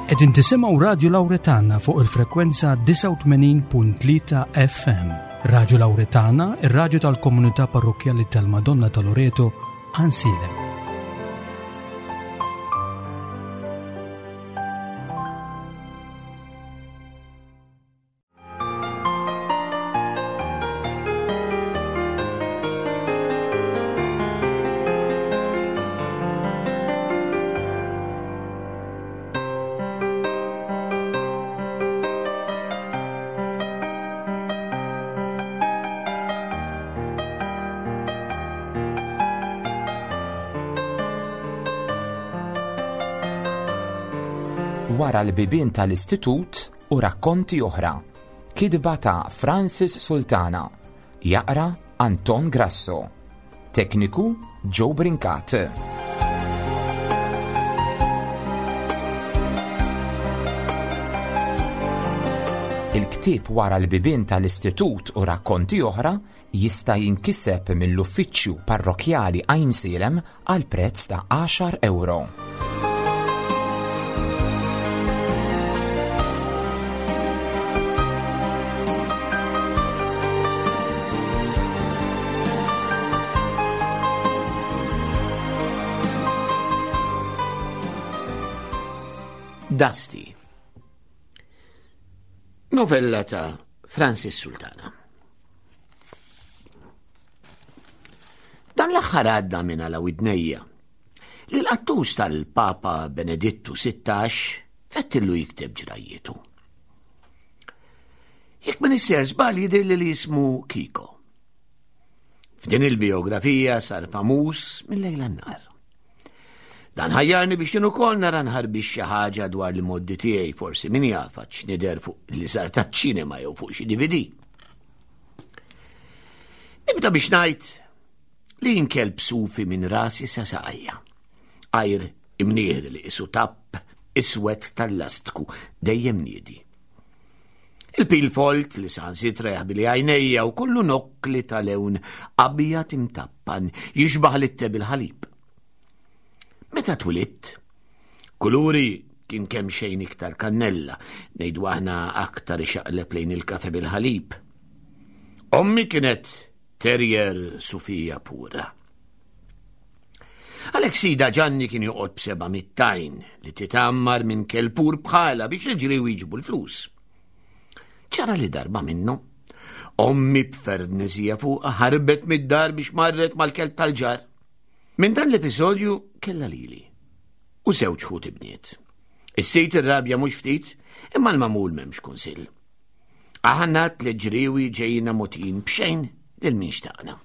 Qegħdin tisimgħu Radju Lawretana fuq il-frekwenza 89.3 FM. Radju Lawretana, ir-radju tal-komunità parrokkjali tal-Madonna ta' Loreto, Ansilem. Wara l-bibien tal-istitut u rakkonti oħra. Kitba ta' Francis Sultana. Jaqra Anton Grasso. Tekniku Joe Brincat. Il-ktieb Wara l-bibien tal-Istitut u rakkonti oħra jista' jinkiseb mill-Uffiċċju Parrokkjali Għajnsielem għal prezz ta' għaxar ewro. Dusty. Novella ta' Francis Sultana. Dan l-aħħar għadda minn għala widnejja li l-qattus tal-Papa Benedittu 16 fettillu jikteb ġrajjietu. Jekk ma nisser żball jidhir li jismu Kiko. F'din il-biografija sar famuż mill-lejl nar. Dan ħajjarni biex jien ukoll nara nħarbix xi ħaġa dwar li moddi tiegħi forsi min jaf għax nidher fuq li sar taċ-ċinema jew fuq xi DVD. Nibda biex ngħid li jien kelb sufi minn rasi sa saqajja. Għajr imnieħri li qisu tapp iswed tal-lastku dejjem niedi. Il-pil folt li saħansitra jaħbili għajnejja u kollu nokkli ta' lewn abjad imtappan jixbaħ li bil ħalib. Meta twilidt, kuluri kien kemm xejn iktar kannella, ngħidu aħna aktar ixaqleb lejn il-kafe bil-ħalib. Ommi kienet terrier Sufija pura. Għalhekk sida Ġanni kien joqgħod b'seba' mittajn li titammar minn kelpur bħala biex il-ġriewi jġibu l-flus. Ċara li darba minnu, ommi b'fernezija fuqha ħarbet mid-dar biex marret mal-kelb tal-ġar. Minn dan l-episodju kella lili u żewġ ħut ibniet. Is-sit irrabja mhux ftit, imma l-mamul m'hemmx kunsill. Aħna tliet ġriewi ġejna motin b'xejn lil min xtaqna.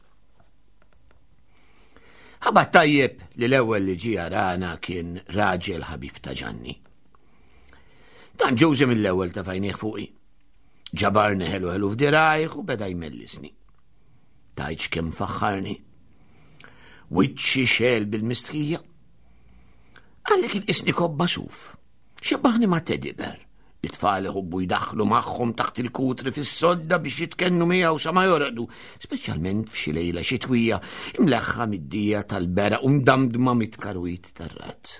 Ħabat tajjeb li l-ewwel li ġie jarana kien raġel ħabib ta' Ġanni. Dan ġużi mill-ewwel ta' fajnieh fuqi. Ġabarni ħelu ħelu f'dirajh u beda jmellisni. Tajċ kemm faħħarni. Wiċċi xel bil-mistħija. Għalli kien isni kobba suf. Xebbaħni ma' teddy bear. It-tfal iħobbu jdaħħlu magħhom taħt il-kutri fis-sodda biex jitkennu miegħu sa ma jorqdu, speċjalment f'xi lejla xitwija imleħħa mid-dija tal-beraq u mdamdma mit-tkarwit tar-rat.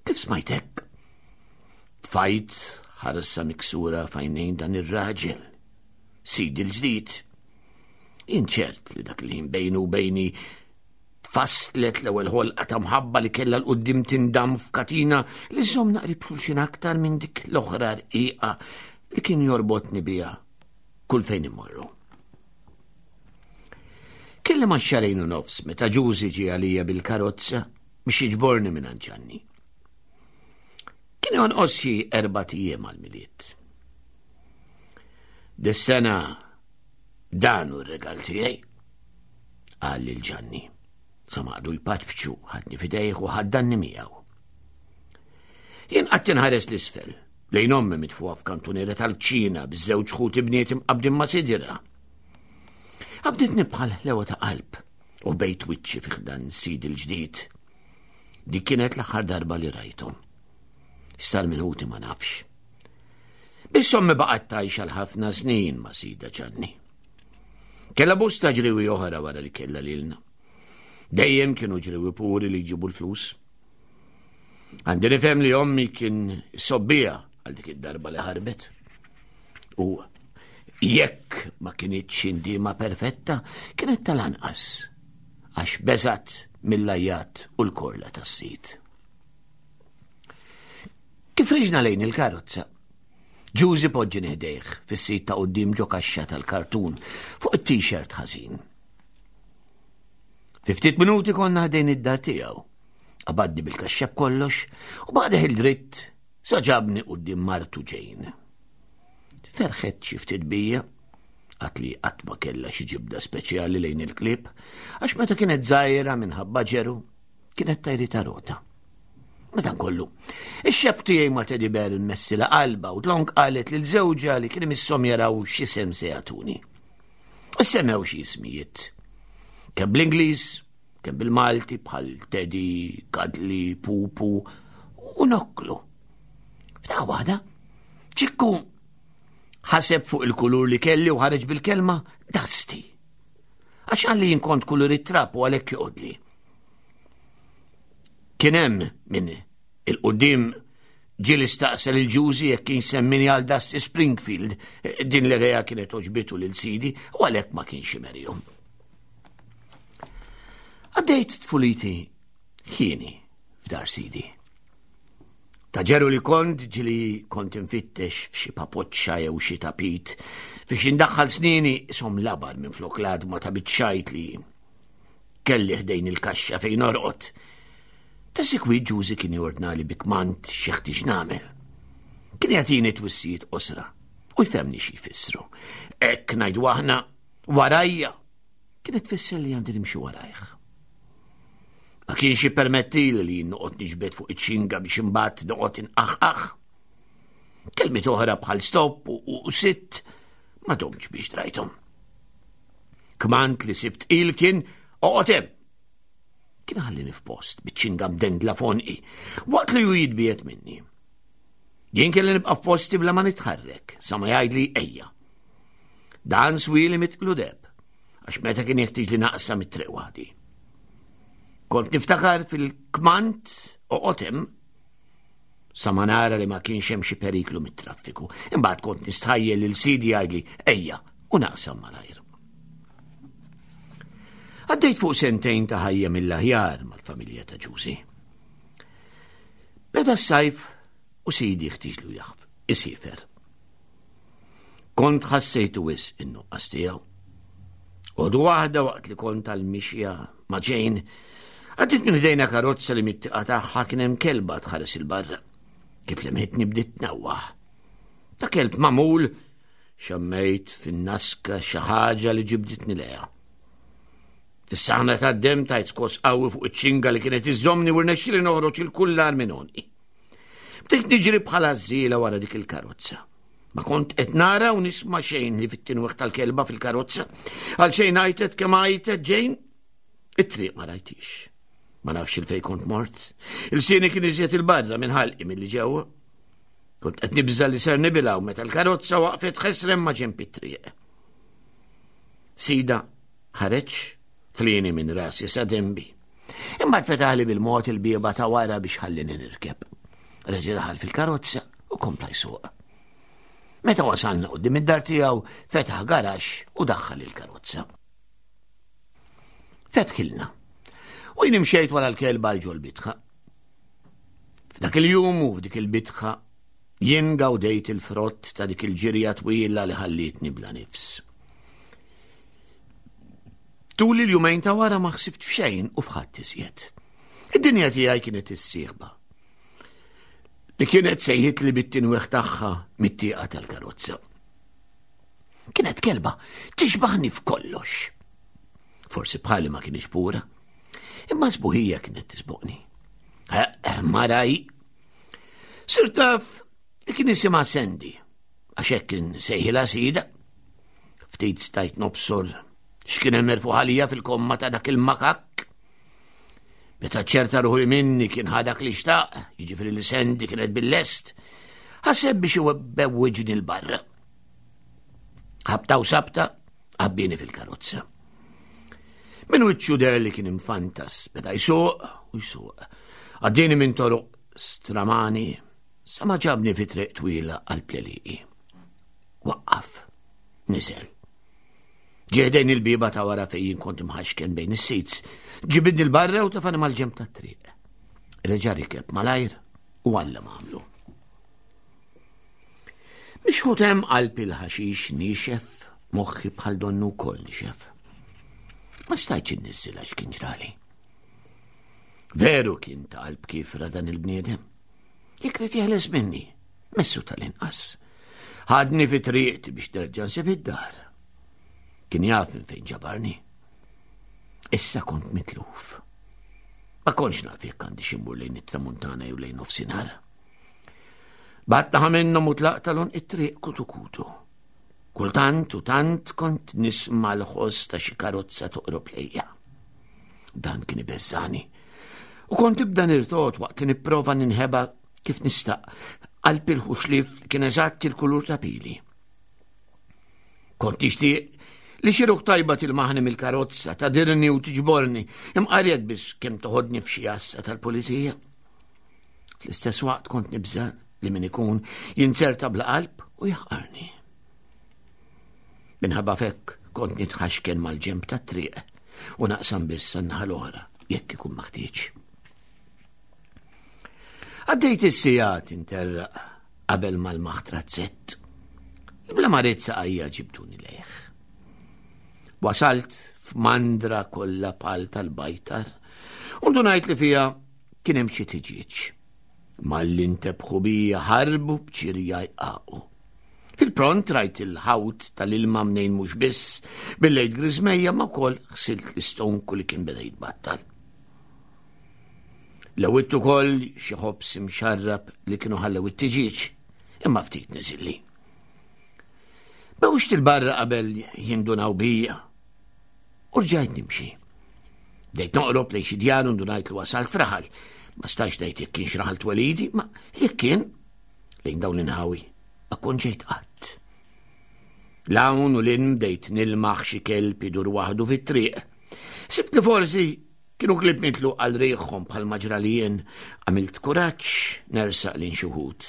Kif smajt hekk? Tfajt ħarsa miksura f'għajnejn dan ir-raġel. Sidi l-ġdid. Jien ċert li dak li bejnu u bejni Tfasslet l-ewwel ħolqa ta' mħabba li kellha l-quddiem tindam f'katina li żżommna qrib xulxin aktar minn dik l-oħra rqiqa li kien jorbotni biha kull fejn immorru. Kelli ma' xarejn u nofs meta Ġużi ġie għalija bil-karozza biex jiġborni minn Ġanni. Kien jonqos xi erbat ijiem għall-Milied. Dis-sena dan hu r-regal tiegħi. Qal lil Ġanni. Sa ma qagħdu jpatpċu, ħadni f'idejh u ħaddanni miegħu. Jien qatt inħares l-isfel, lejn ommi mitfuha f'kantuniera tal-kċina biż-żewġ ħuti bniet imqabbdin ma' sidira. Qabditni bħal ħlewa ta' qalb u bejt wiċċi fi ħdan sid il-ġdid. Dik kienet l-aħħar darba li rajthom. X'sar minn ħuti ma nafx. Biss ommi baqgħet tgħix għal ħafna snin ma' sida Ġanni. Kella bosta ġriwi oħra wara li kella lilna. Dejjem kienu ġriwi puri li jġibu l-flus. Għandi nifhem li ommi kien sobbija għal dik id-darba li ħarbet. U jekk ma kinitx indiema perfetta, kienet tal-anqas għax beżat mill-ajjat u l-korla tas-sit. Kif riġna lejn il-karozza, Ġużi poġġini ħdejh fis-sit ta' quddiem ġo kaxxa tal-kartun fuq it-t-shirt ħażin. Fi ftit minuti konna ħdejn id-dar tiegħu. Qabadni bil-kaxxa b'kollox u baqa' il dritt sa ġabni quddiem martu Ġejn. Ferħet xi ftit bija, għat li qatt ma kellha xi ġibda speċjali lejn il-klieb, għax meta kienet żgħira minħabba ġeru, kienet tajri ta' rota. Madankollu, ix-xeb tiegħi ma' Teddy Bear immessila qalba u dlonk qalet lil żewġha li kien imisshom jaraw x'isem se jagħtuni. Semmew xi ismijiet. Kemm bl-Ingliż, kemm bil-Malti bħal Teddy, Kadli, Pupu u Nokklu. F'daqqa waħda, ċikku ħaseb fuq il-kulur li kelli u ħareġ bil-kelma Dusty. Għax għalli jinkont kulur it-trap u għalhekk joqodli. Kien hemm min il-qudiem ġieli staqsa lil Ġużi jekk kienx semmini għal Dusty Springfield. Din l-idea kienet oġbitu lil sidi u għalhekk ma kienx imerihom. Għaddejt tfuliti ħieni f'dar sidi. Ta' ġeru li kont ġili kont infittex f'xi papoċċa jew xi tapit fiex indaħħal snini isom labar minn flok l-għadma ta' biċċajt li Kelli ħdejn il-kaxxa fejn norqod. Ta' sikwit Ġużi kien jordnali bi kmand xi ħtieġ nagħmel. Kien jagħtini twissijiet qosra u jfehmni xi jfissru. Hekk ngħidu aħna warajja kienet tfisser li għandi nimxi warajh. Ma kienx jippermettili li jien noqgħod niġbed fuq iċ-ċinga biex imbagħad noqgħod inqaħqaħ. Kelmiet oħra bħal stop u sitt ma domx biex drajthom. Kmand li sibt il kien oqgħod hemm. Kien ħallini f'post biċ-ċinga mdendla fonqi waqt li hu jitbiet minni. Jien kelli nibqa' f'posti bla ma nitħarrek sa ma jgħidli ejja. Dan swili mitqlu deb għax meta kien jeħtieġ li naqsam it-triq waħdi. Kont niftakar fil-kmand oqgħod hemm sa ma nara li ma kienx hemm xi periklu mit-traffiku. Imbagħad kont nistħajjel lil sidi jgħidli ejja u naqsam malajr. Għaddejt fuq sentejn ta' ħajja mill-aħjar mal-familja ta' Ġużi. Beda s-sajf u sidi ħtiġlu jaħf, isifer. Kont ħassejtu wisq in-nuqqas tiegħu. Għodu waħda waqt li kont għal-mixja ma' Jane, għaddit minn ħdejna karozza li mit-tiqa tagħha kien hemm kelba tħares il-barra. Kif lemħitni bdiet tnewwaħ. Ta' kelb magħmul xammejt fin-naska xi ħaġa li ġibditni lejha. Fis-saħna tad-dem tajt skos qawwi fuq iċ-ċinga li kienet iżżommni u rnexxieli noħroġ il-kullar minn għonqi. Bdejt niġri bħala żiela wara dik il-karozza. Ma kont qed nara u nisma' xejn li fit-tinweħ tal-kelba fil-karozza. Għal xejn għajtet kemm għajtet ġejn, it-triq ma rajtix. Ma nafx il-fej kont mort. Il-sieni kien iżjed il-barra minn ħalqi milli ġewwa. Kont qed nibża li ser nibilgħu meta l-karozza waqfet ħesrem ma' ġenb it-triq. Sida ħareġ Flieni minn rasi sa denbi. Imbagħad fetaħli bil-mod il-bieba ta' wara biex ħallini nirkeb. Reġa' daħal fil-karozza u kompla jsuq. Meta wasalna qudiem id-dar tiegħu, fetaħ garaxx u daħħal il-karozza. Fetħilna. U jien imxejt wara l-kelba għal ġol bitħa. F'dak il-jum u f'dik il-bitħa jien gawdejt il-frott ta' dik il-ġirja twila li ħallietni bla nifs. Tul il-jumejn ta' wara ma ħsibt f'xejn u f'ħadd iżjed. Id-dinja tiegħi kienet issieħba. Li kienet sejħit li bit-tinweħ tagħha mit-tieqa tal-karozza. Kienet kelba tixbaħni f'kollox. Forsi bħali ma kienx pura, imma sbuħija kienet tisboqni. Eh, maraj, sirt taf li kien isimha Sandy, għax hekk kien sejħilha sida. Ftit stajt nobsor x'kien hemm merfuħ għalija fil-komma ta' dak il-makakk. Meta ċerta ruħi minni kien ħadak li xtaq, jiġifieri li Sandy kienet bil-lest, ħaseb biex iwebbewwiġni l-barra. Ħabta u sabta, għabbini fil-karozza. Min wiċċu der li kien infantas, beda jsuq u jsuq. Għaddini minn toroq stramani sa ma ġabni fi triq twila għal pleliqi. Waqqaf, niżel. Ġeħdejn il-bieba ta' wara fejn kont imħaxken bejn is-sits, ġibidni l-barra u tafani mal-ġemp tat-triq. Reġa' rikeb malajr u għalla m'għamlu. Mixħut hemm qalb il-ħaxix nixef, moħħi bħal donnu wkoll nixef. Ma stajtx inniżżilha x'kien ġrali. Veru kien ta' qalb kifra dan il-bniedem. Jekk rid jeħles minni, messu tal-inqas. Ħadni fi triqti biex nerġa' nsib id-dar. Kien jaf minn fejn ġabarni. Issa kont mitluf. Ma kontx naf jekk għandi ximmur lejn it-tramuntana jew lejn nofsinhar. Battaħa minnhom u tlaq talon it-triq kutu kutu. Kultant u tant kont nisma' l-ħoss ta' xi karozza toqrob lejja. Dan kien ibeżżani. U kont nibda nirtot waqt li nipprova ninħeba kif nista' qalb il-ħuxlif kien eżatt il-kulur ta' pili. Kont nixtieq li xi ruħ tajba tilmaħni mill-karozza, tadirni u tiġborni, imqar jekk biss kemm toħodni f'xi għassa tal-pulizija. Fl-istess waqt kont nibża' li min ikun jinzerta bla qalb u jaħqarni. Minħabba fekk kont nitħaxken mal-ġemp tat-triq u naqsam biss għan-naħa l-oħra jekk ikun maħtieġ. Għaddejt is-sigħat interraq qabel mal-maħtra zett. Bla ma rrid saqajja ġibduni lejh. Wasalt f'mandra kollha pal tal-bajtar u ndunajt li fiha kien hemm xi tiġieġ. Malli ntebħu bija ħarbu b'ċirja jqaqu. Fil-pront rajt il-ħawt tal-ilma mnejn mhux biss billejt griżmejja ma wkoll ħsilt l-istonku li kien beda jitbattal. Lewwitt ukoll xi ħobż imxarrab li kienu ħallew it-tiġieġ, imma ftit niżilli. Bewxt il-barra qabel jindunaw bija U rġajt nimxi. Bdejt noqrob lejn xi djar u ndunajt li wasalt f'raħal. Ma stajx ngħid jekk kienx raħal twelidi, ma jekk kien lejn dawn l-inħawi ma kont ġejt qatt. L-hawn u l-in bdejt nilmaħ xi kelb idur waħdu fit-triq. Sibt li forsi kienu klib mitlu għal riħhom bħal maġra li jien għamilt kuraġġ nersaq lejn xi wħud.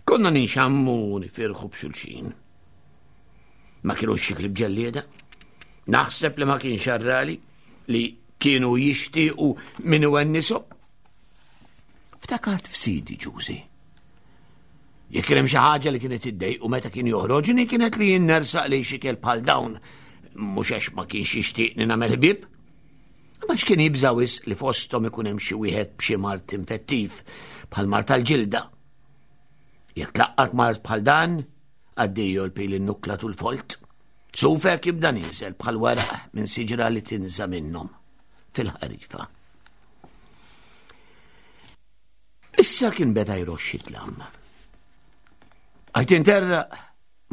Konna ninxammu u nifirħu b'xulxin. Ma kienux xi klib ġellieda. Naħseb li ma kienx arrali li kienu jixtiequ min iwennisom. Ftakart f'sidi ġużi. Jekk kien hemm xi ħaġa li kienet iddejqu meta kien joħroġni kienet li jien nersaq li xi kelb bħal dawn mhux għax ma kienx jixtieqni nagħmel ħbieb. Imma x'kien jibża' wisq li fosthom ikun hemm xi wieħed b'xi mard infettiv bħal mard tal-ġilda. Jekk tlaqqat mard bħal dan, Addio l-pil in-nukla tul folt. Sufek jibda nieżel bħal weraq minn siġra li tinża minnhom fil-ħarifa. Issa kien beda jroxxi dlam. Għajt interra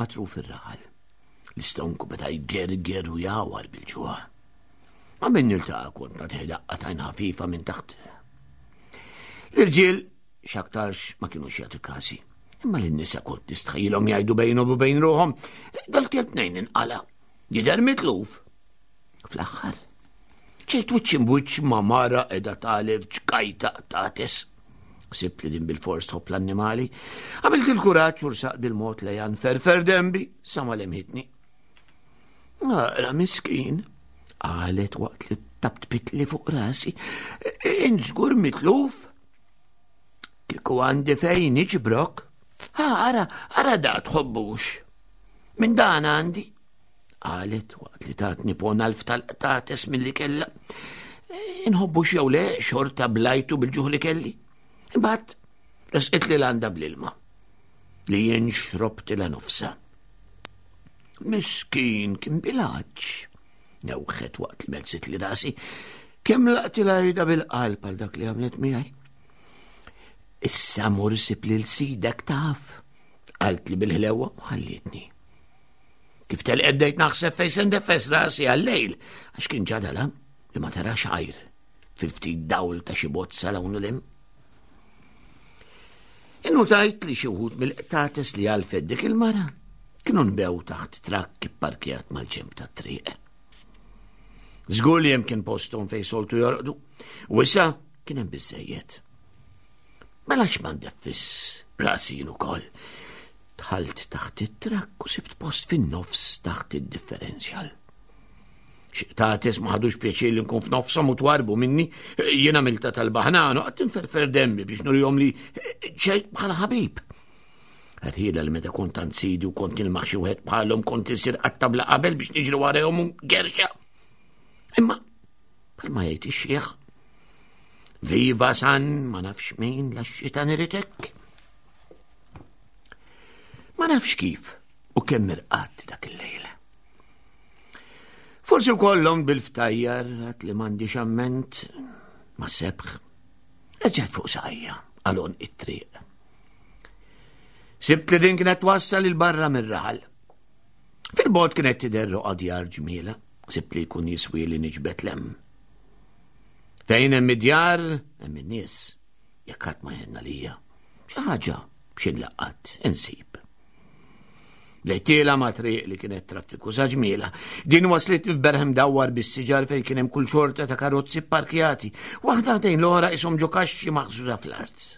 matruf ir-raħal. L-istonku beda jgerger u jawar bil-ġuħ. Ma minn niltaqa' kont nagħtih daqqa tajn ħafifa minn taħt. L-irġiel X'aktarx ma kinux jagħtu każi. Imma lin-nisa kont nistħajjilhom jgħidu bejnhom u bejn ruħhom, dal-kelb nejn inqala, jidher mitluf. Fl-aħħar, ġejt wiċċ imbwiċċ ma' mara qiegħda tagħlef ġkajta qtates. Sibt li din bil-fors tħobb l-annimali. Għamilt il-kuraġġ u rsaq bil-mod lejha nferfer dembi sa ma lemħitni. Ara miskin, qalet waqt li tabtbitli fuq rasi, int żgur mitluf. Kieku għandi fejn niġbrok. Ha, ara, ara da tħobbux. Minn dan għandi. Qalet waqt li tatni pon alf tal-qtates mill-li kella. Inħobbux jew le xorta blajtu bil-ġuħ li kelli. Imbagħad resqit li l-għanda bl-ilma li jien xrobtilha nofsa. Miskin kien bilaċ. Newħet waqt li mezzit li rasi. Kemm laqtilha ida bil-qalb għal dak li għamlet miegħi. Issa mur sib lil sidek taf, qaltli bil-ħlewa u ħallietni. Kif telqet bdejt naħseb fejn se ndeffes rasi għal-lejl, għax kien ġadala li ma tarax għajr fil-ftit dawl ta' xi bozza l hawn l Innutajt li xi wħud mill-qtates li għalfet dik il-mara kienu nbew taħt trakk ipparkjat mal-ġemp tat-triq. Żgur li hemm kien posthom fejn soltu jorqdu, u issa kien hemm biżejjed. Mela x'ma ndeffis rasi jien ukoll. Dħalt taħt it-trakk u sibt post fin-nofs taħt id-differenzjal. Xi qtates ma ħadux pjaċir li nkun f'nofshom u twarbu minni, jien għamilta tal-baħnan u qatt inferfer demmi biex nurihom li ġejt bħala ħabib. Rħila li meta kont għand sidi u kont nilmaħ xi wieħed bħalhom kont insir qatta bla qabel biex niġri warahom u gerxa. Imma bħalma jgħid ix-xieħ, Viva San ma nafx min la xitan iritek. Ma nafx kif u kemm irqadt dak il-lejl. Forsi wkollhom bil-ftajjar għat li m'għandix amment ma sebħ. Eġġed fuq saqajja għal it-triq. Sibt li din kienet twassal il-barra mir-raħal. Fil-bot kienet tidher roqa djar ġmiela, sibt li jkun jiswi li niġbed lem. Fejn hemm id-djar, hemm in-nies. Jekk ħadd ma jenna lija. Xi ħaġa xi nlaqqat insib. Bdejt ma' triq li kienet traffikuża ġmiela. Din waslit f'berħ imdawwar bis-siġar fejn kien hemm kull xorta ta' karozzi pparkjati, waħda ħdejn l-oħra ishom ġo kaxxi maħżuża fl-art.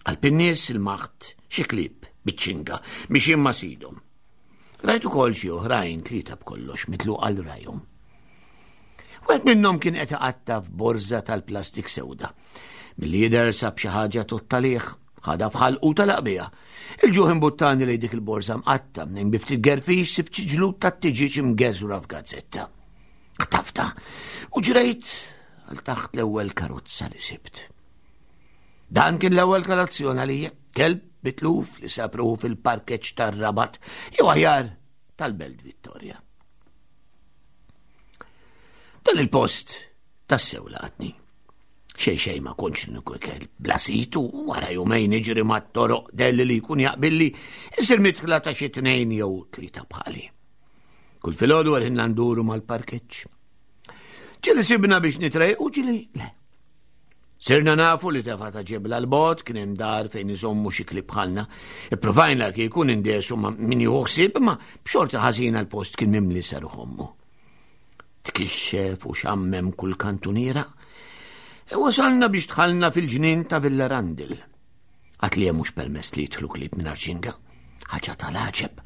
Qalb in-nies il-maħt xi klieb biċ-ċinga biex imma sidhom. Rajt ukoll xi oħrajn tlieta b'kollox mitlu għal rajhom. Wieħed minnhom kien qed iqatta' f'borża tal-plastik sewda. Milli jidher sab xi ħaġa tottalih, ħadha f'ħalqu telaq biha. Il-ġuħ imbuttani lejn dik il-borża mqatta' mnejn bi ftit gerfix sibt xi ġlud tat-tiġieġ imgeżwra f'gazzetta. Ħtafta u ġrejt għal taħt l-ewwel karozza li sibt. Dan kien l-ewwel kolazzjon għalija, kelb bitluf li sab ruħu fil-parkeġġ tar-Rabat, jew aħjar tal-Belt Vittoria. Dan il-post tassew laqatni. Xej xej ma kontx l-uniku kelb bla sit u wara jumejn iġri mat-toroq delli li jkun jaqbilli isir mitħla ta' xi tnejn jew tlieta bħali. Kull filgħodu għalħinna nduru mal-parkeġġ. Ġili sibna biex nitrejqu ġili le. Sirna nafu li tefa ta' ġebla l-bot kien hemm dar fejn iżommu xi klib bħalna. Ippruvajna kieku nindesu ma' min jieħu ħsieb imma b'xorti ħażina l-post kien mimli seruħ ommu. Tkixxef u xammem kull kantuniera. E wasalna biex dħalna fil-ġnien ta' Villa Randil. Għat li hemm mhux permess li jidħlu klieb minn ċinga. Ħaġa tal-għaġeb.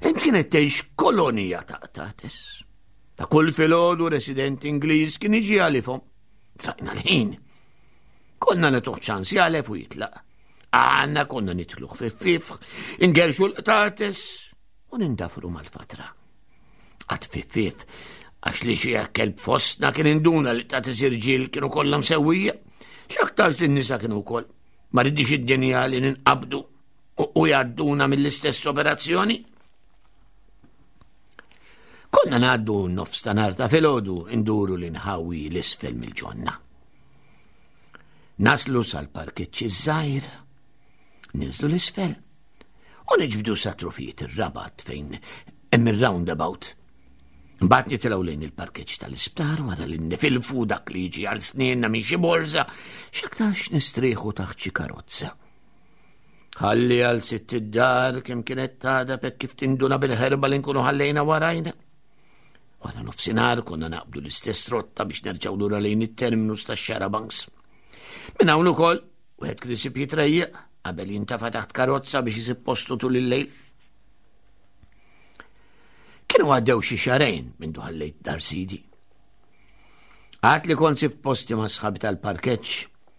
Hemm kienet tgħix kolonija ta' qtates. Ta' kull filgħodu resident Ingliż kien jiġi għalifhom. Trajna l-ħin. Konna nagħtuh ċans jagħlef u jitlaq. Għanna konna nitlu ħfiffif, ingerxu l-qtates u nindafru mal-fatra. Għad fiffif, għax li xi kelb fostna kien induna li qtates irġiel kienu kollha msewwija. X'aktarx li n-nisa kienu wkoll. Ma ridix id-dinja li ninqabdu u jgħadduna mill-istess operazzjoni. Konna ngħaddu nofs ta' nar ta' filgħodu nduru l-inħawi l-isfel mill-ġonna. Naslu sal-parkeġġ iż-żgħir, ninżlu l-isfel u niġbdu sa trufijiet ir-rabat fejn hemm ir-roundabout. Mbagħad nitilgħu lejn il-parkeġġ tal-isptar wara li nifilfu dak li jiġi għal snienna minn xi borża, x'aktarx nistrieħu taħt xi karozza. Ħalli għal sitt id-dar kemm kienet tagħdab hekk kif tinduna bil-ħerba li nkunu ħallejna warajna. Wara nofsinhar konna naqbdu l-istess rotta biex nerġgħu lura lejn it-terminus tax-xarabanks. Minn hawn ukoll wieħed kien isib jitrejjeq qabel jintafa' taħt karozza biex isib postu tul il-lejl. Kienu għaddew xi xarejn minn ħallejt dar sidi. Għad li kont sibt posti ma' sħabi tal-parkeġġ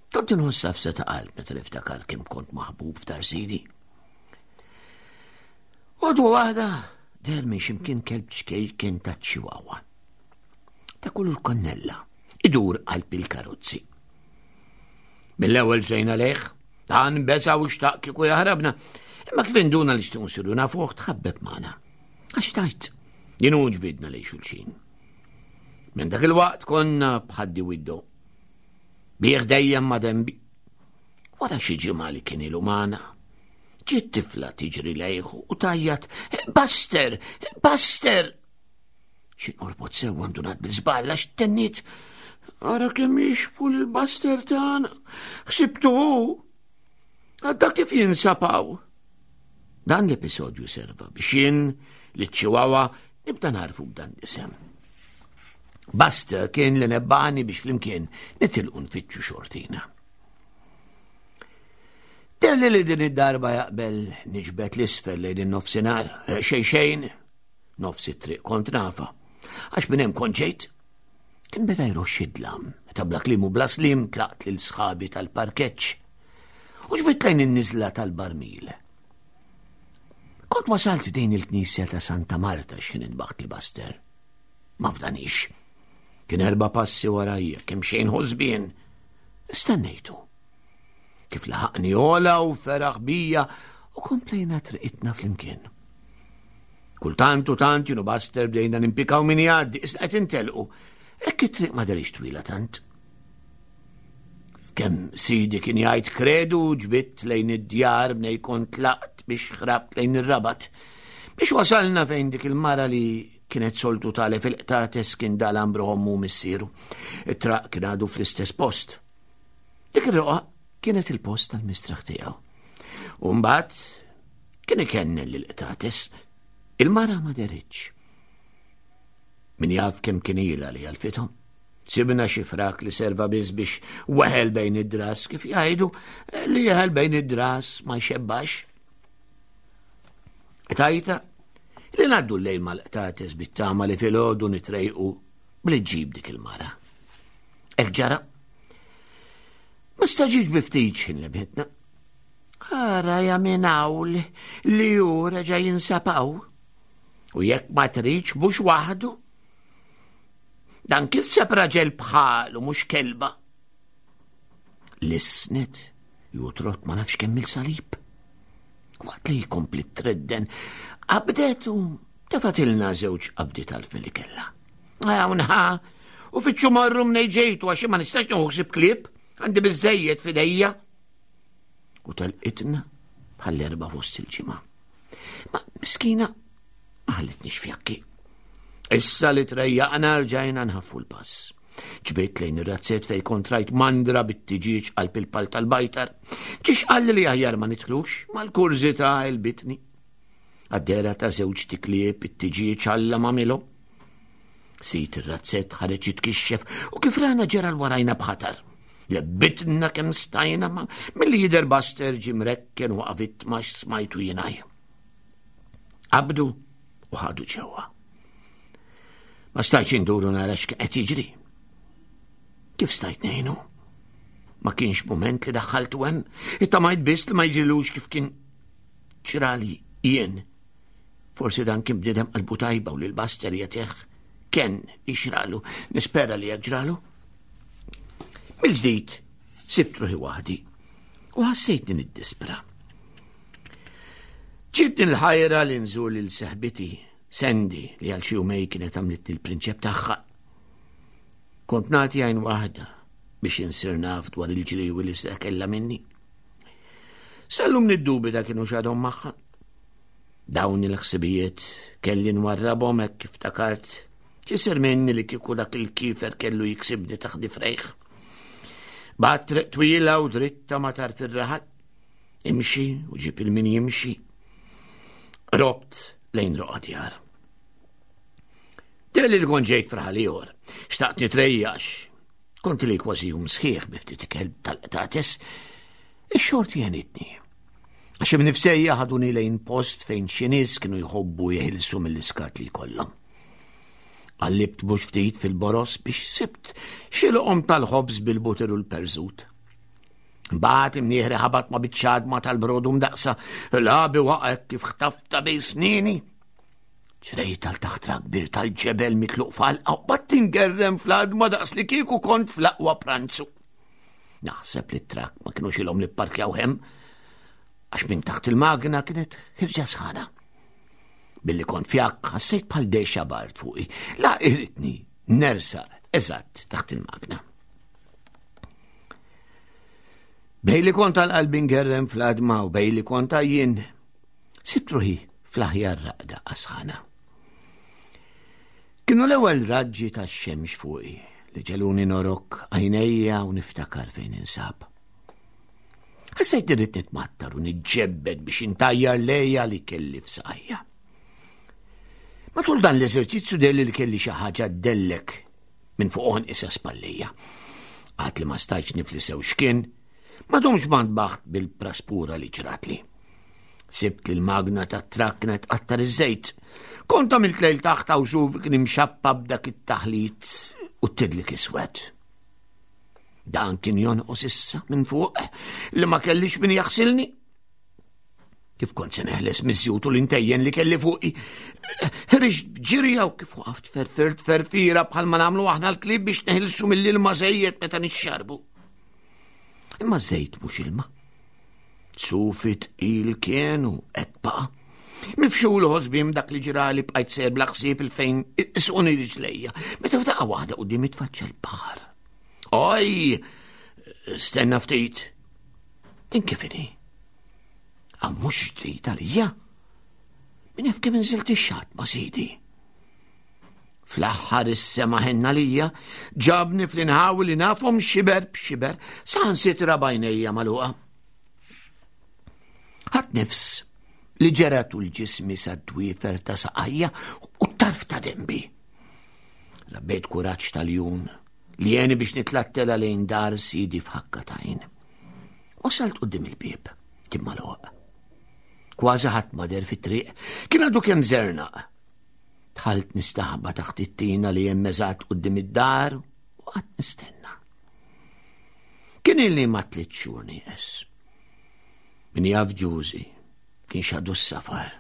Kont inħoss għafsa ta' qalb meta niftakar kemm kont maħbub f'dar sidi. Għodwa waħda deher minn ximkien kelb ċkejken ta' ċiwawa. Ta' kulur konnella, idur qalb il-karozzi. Mill-ewwel ġejna lejh, dan besa u xtaq kieku jaħrabna, imma kif induna li xtiqu nsiru nafuh tħabbeb magħna. Għax tajt, jien u ġbidna lejn xulxin. Minn dak il-waqt konna bħaddi widdu. Bih dejjem ma' denbi. Wara xi ġimgħa li kien ilu magħna, ġiet tifla tiġri lejh u tajjat, Buster! Buster! Xi norbot sewwa ndunat bil-żball għax tenniet ara kemm jixbu l-Buster tagħna. Ħsibtu hu. Għadda kif jinsab hawn. Dan l-episodju serva biex jien li ċ-Chihuahua nibda narfu b'dan l-isem. Buster kien li nebbani biex flimkien nitilqu nfittxu xortina. Telli li din id-darba jaqbel niġbed l-isfel lejn in-nofsinhar, eh, xejn xejn, nofs it-triq kont nafa. Għax minn hemm kont ġejt. Kien beda jroxx id-dlam, meta bla kliem u bla slim tlaqt lil sħabi tal-parkeġġ. U ġbid lejn in-niżla tal-barmil. Kont wasalt din il-knisja ta' Santa Marta x'ħin intbaħt li Buster. Ma fdanix. Kien erba' passi warajja, kemm xejn ħosbien. Stennejtu. Kif laħaqni ola u feraħ bija u komplejna triqitna flimkien. Kultant u tant jien u Buster bdejna nimpikaw min jgħaddi, isna qed intelqu. Hekk it-triq ma derix twila tant. F'kemm sidi kien jgħid kredu ġbidt lejn id-djar bnej kont tlaqt biex ħrabt lejn ir-rabat. Biex wasalna fejn dik il-mara li kienet soltu tale fil-qtates kien dalam bruħommu missieru. It-traq kien għadu fl-istess post. Dik ir-roqa kienet il-post tal-mistraħ tiegħu. U mbagħad kien ikennel lil qtates il-mara ma deritx. Min jaf kemm kien ilha li għalfithom. Sibna xi frak li serva biss biex weħel bejn id-dras kif jgħidu li jeħel bejn id-dras ma jxebbax. Tajta li ngħaddu l-lejl mal-qtates bit-tama li filgħodu nitrejqu bli ġib dik il-mara. Hekk ġara. Ma staġiġ bi ftit x'ħin lebħitna. Ara ja minn hawn li hu reġa' jinsab hawn. U jekk ma tridx mhux waħdu. Dan kif seb raġel bħalu mhux kelba. Lisnet ju trott ma nafx kemm il-salib. Waqt li jkompli tredden, qabdet u tefatilna żewġ qabdi tal-fili li kellha. Hawn ħa, u fittxu marru mnej ġejtu għax ma nistax nieħu ħsieb klieb, għandi biżejjed f'idejja. U telqitna bħall-erba' fost il-ġimgħa. Ma miskina ma ħallitniex fjakki. Issa li trejjaqna rġajna nħaffu l-pass. Ġbit lejn ir-razzett fej kont rajt mandra bit-tiġieġ qalb il-pal tal-bajtar. Ġiex qalli li aħjar ma nidħlux, mal-kurżità il-bitni. Għad-dehra ta' żewġt iklieb it-tiġieġ Alla m'għamilhom. Sid ir-razzett ħareġ jitkixxef u kif rana ġera l warajna b'ħatar. Lebbitna kemm stajna ma milli jidher Buster ġie mrekken u waqa' vittma smajtu jingħaj. Qabdu u ħadu ġewwa. Ma stajtx induru nara x'kien qed jiġri. Kif stajt ngħinu? Ma kienx mument li daħħaltu hemm, ittamajt biss li ma jiġrilux kif kien Ġrali jien. Forsi dan kien bniedem qalbu tajba u lil Buster jagħtih ken ixralu, nispera li jekk ġralu. Mill-ġdid sibt ruħi waħdi u ħassejtni niddispra. Ġiet din il-ħajra li nżur lil seħbiti, Sandy, li għal xi jumej kienet għamlitni l-prinċep tagħha. Kont nagħti għajn waħda biex insir naf dwar il-ġriewi li se kellha minni. Sallum niddubita kienu xadhom magħha. Dawn il-ħsibijiet kelli nwarrabhom hekk kif takart ċisir minni li kieku dak il-kifer kellu jiksibni taħt difrejh. Bat triq twila u dritta ma tarf ir-raħal. Imxi u ġib il-min jimxi. Robt lejn roqa djar. Telli li kont ġejt fraħal ieħor, xtaqt nitrejjax, Kont li kważi jum sħiħ bi ftit ikel tal-qtates, ix-xorti għenitni. Għax imnifsejja ħaduni lejn post fejn xi nies kienu jħobbu jeħilsu mill-iskat li jkollhom. Qallibt mhux ftit fil-boros biex sibt xi loqom tal-ħobż bil-butir u l-perżut. Mbagħad imnieħri ħabat ma' biċċa ma tal-brodu mdaqsa, labi waqgħet kif ħtafta bejn snini. Ġrejt għal taħt kbir tal-ġebel mitluq falqa u bat tingerrem fl-għadma daqs li kieku kont fl-aqwa pranzu. Naħseb li t-trak ma kienux ilhom li pparkjaw hemm għax minn taħt il-magna kienet ħirġa sħana. Billi kont fjakk ħassejt bħal dexa bart fuqi. La irritni nersa eżatt taħt il-magna. Bej li kont għal-qalbi ngerrem fl-għadma u bej li kont għajjien Sibt ruħi fl-aħjar raqda għasħana. Kienu l-ewwel raġġi tax-xemx fuqi li ġeluni norok għajnejja u niftakar fejn insab. Ħassejt irrid nitmattar u niġġebbed biex intajjar lejja li kelli f'saqajja. Matul dan l-eżerċizzju delli li kelli xi ħaġa dellek minn fuq għonqi sa spallija. Għad li ma stajtx nifli sew x'kien, Ma domx ma ntbaħt bil-praspura li ġratli. Sibt li l-magna tat-trakk kienet qattar iż-żejt. Kont għamilt lejl taħt għaw sufi kien imxappa b'dak it-taħlit u t-tidlik iswed. Dan kien jonqos issa minn fuq li ma kellix min jaħsilni. Kif kont se neħles miż-żjut u l-intejjen li kelli fuqi. Ħriġt b'ġirja u kif waqaft ferfirt ferfira bħalma nagħmlu aħna l-klib biex neħilsu mill-ilma żejjed meta nixxarbu. Imma żejt mhux ilma. Sufi tqil kienu hekk baqa'. Mifxul ħosbim dak li ġrali bqajt ser bla ħsieb il-fejn isquni riġlejja. Meta f'daqqa waħda quddiem itfaċċa l-baħar. Oj! Stenna ftit. Din kif inhi? Għaw mhux ġdid għalija. Min jaf kemm inżilt ix-xatt ma' sidi. Fl-aħħar is-sema ħenna lija, ġabni fl-inħawi li nafhom xiber b'xiber, saħansitra b'għajnejja magħluqa. Ħadd nifs li ġera tul ġismi sa dwiefer ta' saqajja u tarf ta' dembi. Rabbejt kuraġġ tal-jun li jeni biex nitlattela lejn dar sidi f'ħakka tajn. Wasalt qudiem il-bieb, kien magħluq. Kważi ħadd ma der fit-triq, kien għadu kemm żernaq. Dħalt nistaħba taħt it-tina li hemm eżatt quddiem id-dar u qatt nistenna. Kien ilni ma tliet xhur nieqes. Min jaf ġużi kien xadu s-safar.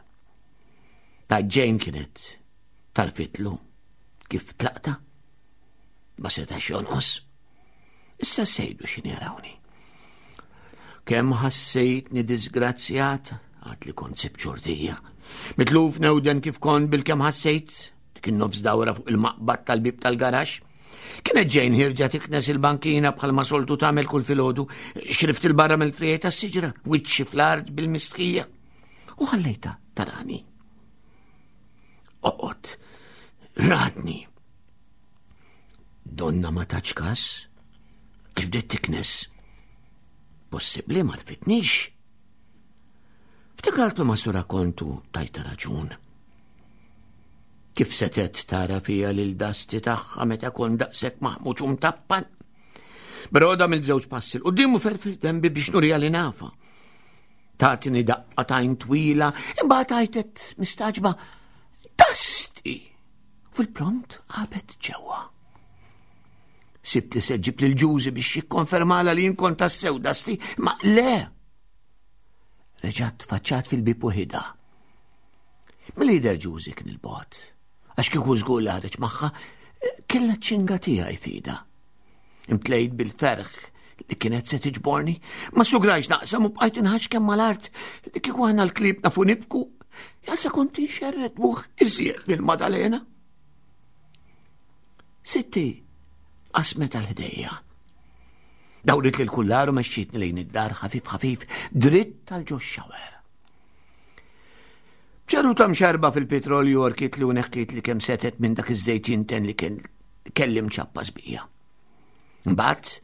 Ta' ġejn kienet tarfitlu kif tlaqta ma setax jonqos. Issa sejdu xin jarawni. Kemm ħassejtni disgrazzjat, għad li kont sib ċordija. Mitluf newden kif kont bil-kemm ħassejt, dik nofs dawra fuq il-maqbad tal-bib tal-garax. Kienet ġejn ħirġa tiknes il-bankina bħalma soltu tagħmel kull filgħodu, xrift il-barra mill-friegħi tas-siġra, wiċċi fl-art bil-mistħija. U ħallejta tarani. Oqgħod, radni. Donna ma taċ kas, għax bdiet tiknes. Possibbli ma rfitnix. Ftakartu ma sura kontu tajta raġun. Kif setet tara fija lil dasti tagħha meta kon daqshekk maħmuġ u mtappan? Broda mill-żewġ passi l-qudiem u ferfir dembi biex nurija li nafa. Tatni daqqa tajn twila, imbagħad għajtet mistaġba dasti! Fil-pront qabet ġewwa. Sibt li se ġib lil Ġużi biex jikkonfermala li jien kont tassew dasti, ma le! Reġgħet tfaċċat fil-bib waħidha. Mill-lider Ġużi kien il-bot, għax kieku żgur li ħareġ magħha, kellha ċinga tiegħi fida. Imtlejt bil-ferħ li kienet se tiġborni, ma sugrajx naqsam u bqajt inħax kemm mal-art li kieku aħna l-klib nafu nibku, jalsa kont inxerred buħ iżjed mill-Madalena. Sitti qasmet għal ħdejja. Dawrit li l-kullaru mexxietni lejn id-dar ħafif ħafif dritt tal ġo xawer. ċaru ta' mxarba fil-petrolju orkit li uneħkiet li kemm setet minn dak iż-żejt jinten li kien kellim ċappa sbija. Mbagħad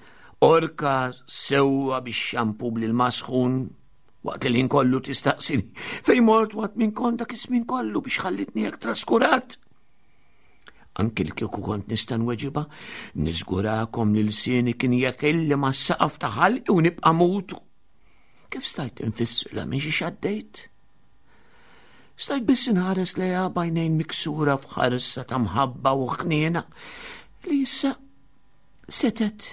orka sewwa bix xampu bl-ilma sħun waqt li l-ħin kollu tistaqsini fejn mort waqt minn kont dak iż-żmien kollu biex ħallitni hekk traskurat. Anki li kieku kont nista' nweġibha, niżgurakom li lsieni kien jekilli mas-saqaf ta' ħalqi u nibqa' mutu. Kif stajt infissirla minn xi xaddejt? Stajt biss inħares lejha b'għajnejn miksura f'ħarsa ta' mħabba u ħniena li issa setet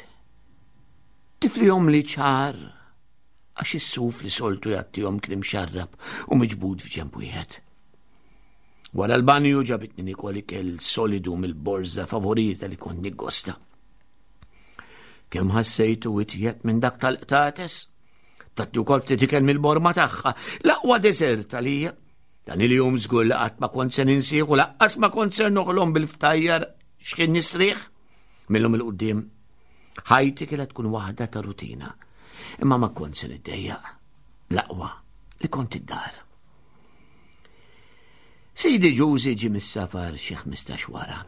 tiflihom li ċar għax is-suf li soltu jagħtihom kien imxarrab u miġbud f'ġenb wieħed. Wara l-banju ġabitni nikol ikel solidu mill-borża favorita li kont niggosta. Kemm ħassejtu itjeb minn dak tal-qtates? Tatni wkoll ftit ikel mill-borma tagħha, l-aqwa deżert għalija. Dan il-jum żgur li qatt ma kont se ninsieħ u laqqas ma kont ser noħlom bil-ftajjar x'kien nisrieħ. Millum il-qudiem ħajti kienet tkun waħda ta' rutina. Imma ma kont se niddejjaq. L-aqwa li kont id-dar. Sidi Ġużi ġie mis-safar xi 15 wara.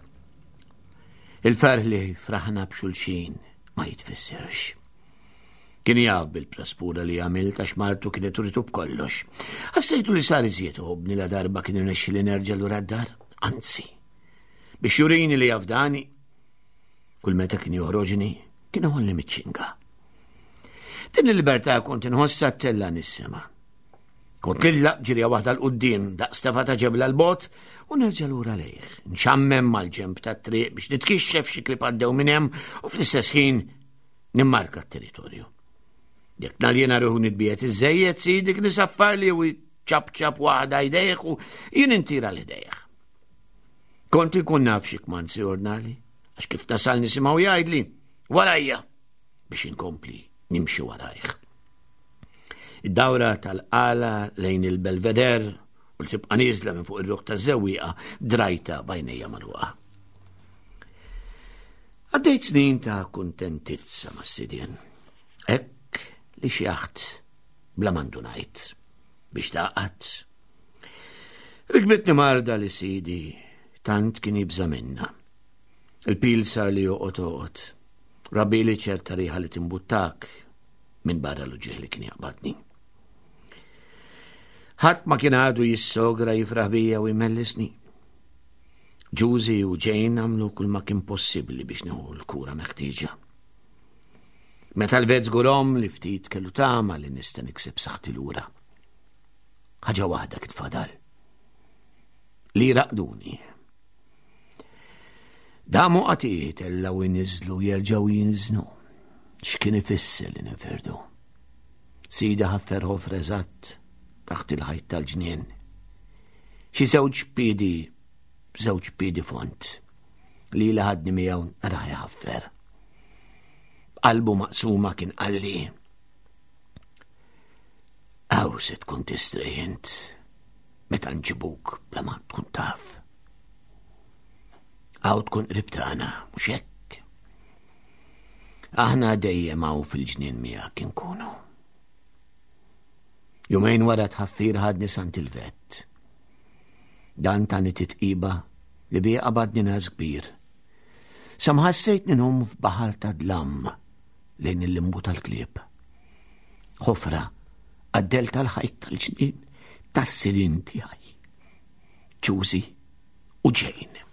Il-ferħ li fraħna b'xulxin ma jitfissirx. Kien jaf bil-praspura li għamilt għax martu kienet uritu b'kollox. Ħassejtu li sar iżjed iħobbni la darba kien irnexxi li nerġa' lura d-dar. Anzi, biex jurini li jafdani, kull meta kien joħroġni, kien iħolli miċ-ċinga. Din il-libertà kont inħossha ttella' nis-sema. Kont nillaq ġirja waħda 'l quddiem daqs tefa' ta' ġebla 'l bogħod u nerġa' lura lejh, nxammem mal-ġenb tat-triq biex nitkixxef xi klieb għaddew minn hemm u fl-istess ħin nimmarka t-territorju. Jekk naljena ruħu nitbiet iżejjed sidi kien isaffarli u ċapċap waħda jdejh u jien intira l-ħdejh. Kont inkun naf xi kmand si ordnali, għax kif nasal nisimgħu jgħidli, warajja biex inkompli nimxi warajh. Id-dawra tal-qala lejn il-Belveder u li tibqa' nieżla minn fuq ir-ruħ taż-żewwieqa drajta b'għajnejja magħluqa. Għaddejt snin ta' kuntentizza mas-sidien. Hekk li xjaħt bla mandu ngħid biex taqgħad. Rikbitni marda li sidi tant kien jibża' minna. Il-pil sar li joqgħod oqgħod. Rabili ċerta riħa li timbuttak minn barra l-uġieħ li kien jaqbadni. Ħadd ma kien għadu jissogra jifraħ bija u jmellisni. Ġużi u Jane għamlu kull ma kien possibbli biex nieħu l-kura meħtieġa. Meta l-vet żgurhom li ftit kellu tama li nista' nikseb saħħti lura. Ħaġa waħda kien fadal. Li raqduni. Damu qatijiet ellaw iniżlu jerġgħu jinżnu. X'kien ifisser li ninfirdu? Sida ħaffer ħofra eżatt taħt il-ħajt tal-ġnien. Xi żewġ piedi, żewġ piedi font li li ħadni miegħu naraħ jħaffer. Qalbu maqsuma kien qalli. Aw se tkun tistrejent meta nġibuk bla ma tkun taf. Aw tkun qrib tagħna, mhux hekk. Aħna dejjem hawn fil-ġnien miegħek inkunu. Jumejn wara tħaffir ħadni Sant il-vet. Dan tani titqiba li bija qabadni nas kbir. Sa ma ħassejt ninhom f'baħar ta' dlam lejn il-limbu tal-klieb. Ħofra għaddel tal-ħajt tal-ġnien tas-sirin tiegħi. Ġużi u Jane.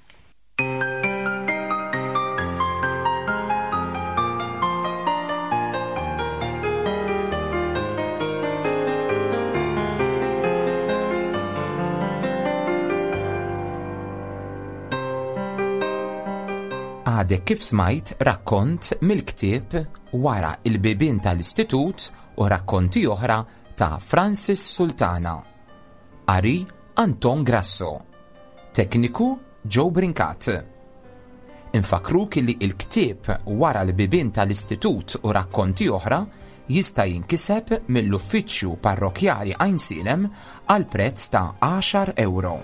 Għadek kif smajt rakkont mill-ktieb Wara il-bibien tal-Istitut u rakkonti oħra ta' Francis Sultana. Qari Anton Grasso. Tekniku Joe Brincat. Infakkruk li l-ktieb Wara l-Bibien tal-Istitut u Rakkonti Oħra jista' jinkiseb mill-Uffiċċju Parrokkjali Għajnsielem għal prezz ta' għaxar ewro.